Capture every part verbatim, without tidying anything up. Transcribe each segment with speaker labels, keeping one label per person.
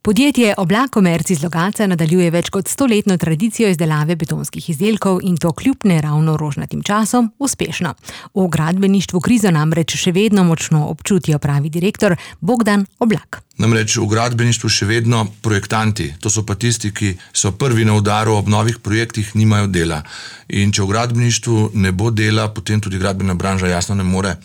Speaker 1: Podjetje Oblak Komerc iz Logatca nadaljuje več kot stoletno tradicijo izdelave betonskih izdelkov in to kljub neravno rožnatim časom uspešno. V gradbeništvu krizo namreč še vedno močno občutijo, pravi direktor Bogdan Oblak.
Speaker 2: Namreč v gradbeništvu še vedno projektanti, to so pa tisti, ki so prvi na udaru ob novih projektih, nimajo dela. In če v gradbeništvu ne bo dela, potem tudi gradbena branža jasno ne more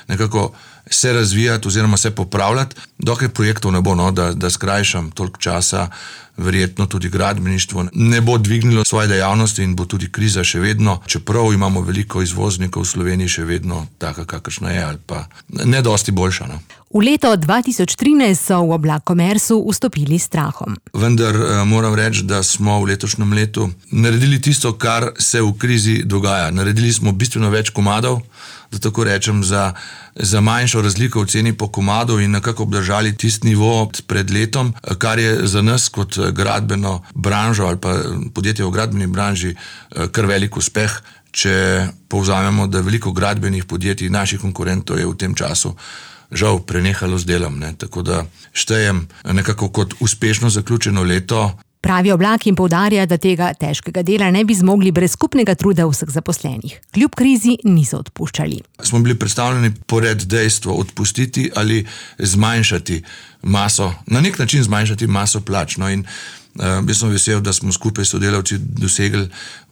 Speaker 2: nekako se razvijati oziroma se popravljati, dokaj projektov ne bo, no, da, da skrajšam toliko časa, verjetno tudi gradbeništvo ne bo dvignilo svoje dejavnosti in bo tudi kriza še vedno, čeprav imamo veliko izvoznikov v Sloveniji, še vedno taka, kakršna je, ali pa ne dosti boljša. No.
Speaker 1: V leto dva tisoč trinajst so v Oblak Komercu vstopili s strahom.
Speaker 2: Vendar moram reči, da smo v letošnjem letu naredili tisto, kar se v krizi dogaja. Naredili smo bistveno več komadov, da tako rečem, za, za manjšo razliko v ceni po komadu in nekako obdržali tisti nivo pred letom, kar je za nas kot gradbeno branžo ali pa podjetje v gradbeni branži kar velik uspeh, če povzamemo, da veliko gradbenih podjetij naših konkurentov je v tem času žal prenehalo z delom, ne? Tako da štejem nekako kot uspešno zaključeno leto.
Speaker 1: Pravi Oblak in poudarja, da tega težkega dela ne bi zmogli brez skupnega truda vseh zaposlenih. Kljub krizi niso odpuščali.
Speaker 2: Smo bili predstavljeni pored dejstvo odpustiti ali zmanjšati maso, na nek način zmanjšati maso plač. No in Uh, jaz sem vesel, da smo skupaj sodelavci dosegli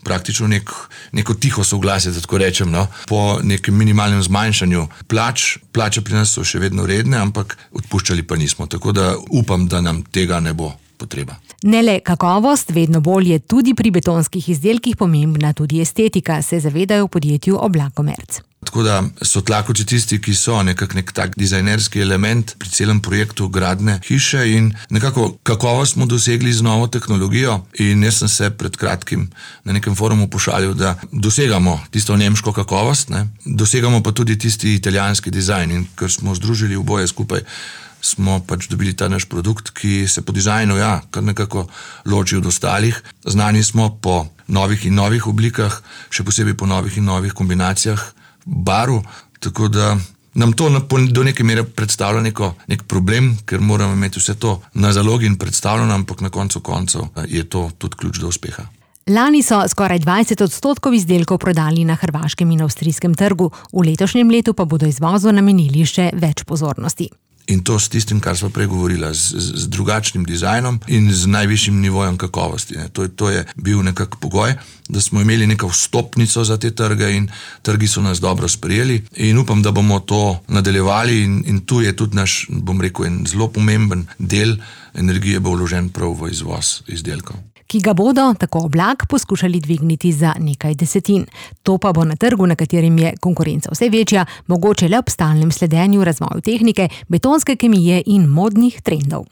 Speaker 2: praktično nek, neko tiho soglasje, da tako rečem, no, po nekem minimalnem zmanjšanju plač. Plače pri nas so še vedno redne, ampak odpuščali pa nismo, tako da upam, da nam tega ne bo potreba.
Speaker 1: Ne le kakovost, vedno bolj je tudi pri betonskih izdelkih pomembna tudi estetika, se zavedajo v podjetju Oblak Komerc.
Speaker 2: Tako da so tlakoči tisti, ki so nekak nek tak dizajnerski element pri celem projektu gradne hiše in nekako kakovost smo dosegli z novo tehnologijo in jaz sem se pred kratkim na nekem forumu pošalil, da dosegamo tisto nemško kakovost, ne? Dosegamo pa tudi tisti italijanski dizajn in ker smo združili oboje skupaj, smo pač dobili ta naš produkt, ki se po dizajnu, ja, kar nekako loči od ostalih. Znani smo po novih in novih oblikah, še posebej po novih in novih kombinacijah barv, tako da nam to do neke mere predstavlja neko, nek problem, ker moramo imeti vse to na zalogi in predstavljeno, ampak na koncu koncev je to tudi ključ do uspeha.
Speaker 1: Lani so skoraj dvajset odstotkov izdelkov prodali na hrvaškem in avstrijskem trgu, v letošnjem letu pa bodo izvozu namenili še več pozornosti.
Speaker 2: In to s tistim, kar smo prej govorila, z, z drugačnim dizajnom in z najvišjim nivojem kakovosti. Ne. To, to je bil nekak pogoj, da smo imeli neko vstopnico za te trge in trgi so nas dobro sprejeli in upam, da bomo to nadaljevali in, in tu je tudi naš, bom rekel, en zelo pomemben del energije bo vložen prav v izvoz izdelkov.
Speaker 1: Ki ga bodo, tako Oblak, poskušali dvigniti za nekaj desetin. To pa bo na trgu, na katerem je konkurenca vse večja, mogoče le ob stalnem sledenju razvoju tehnike, betonske kemije in modnih trendov.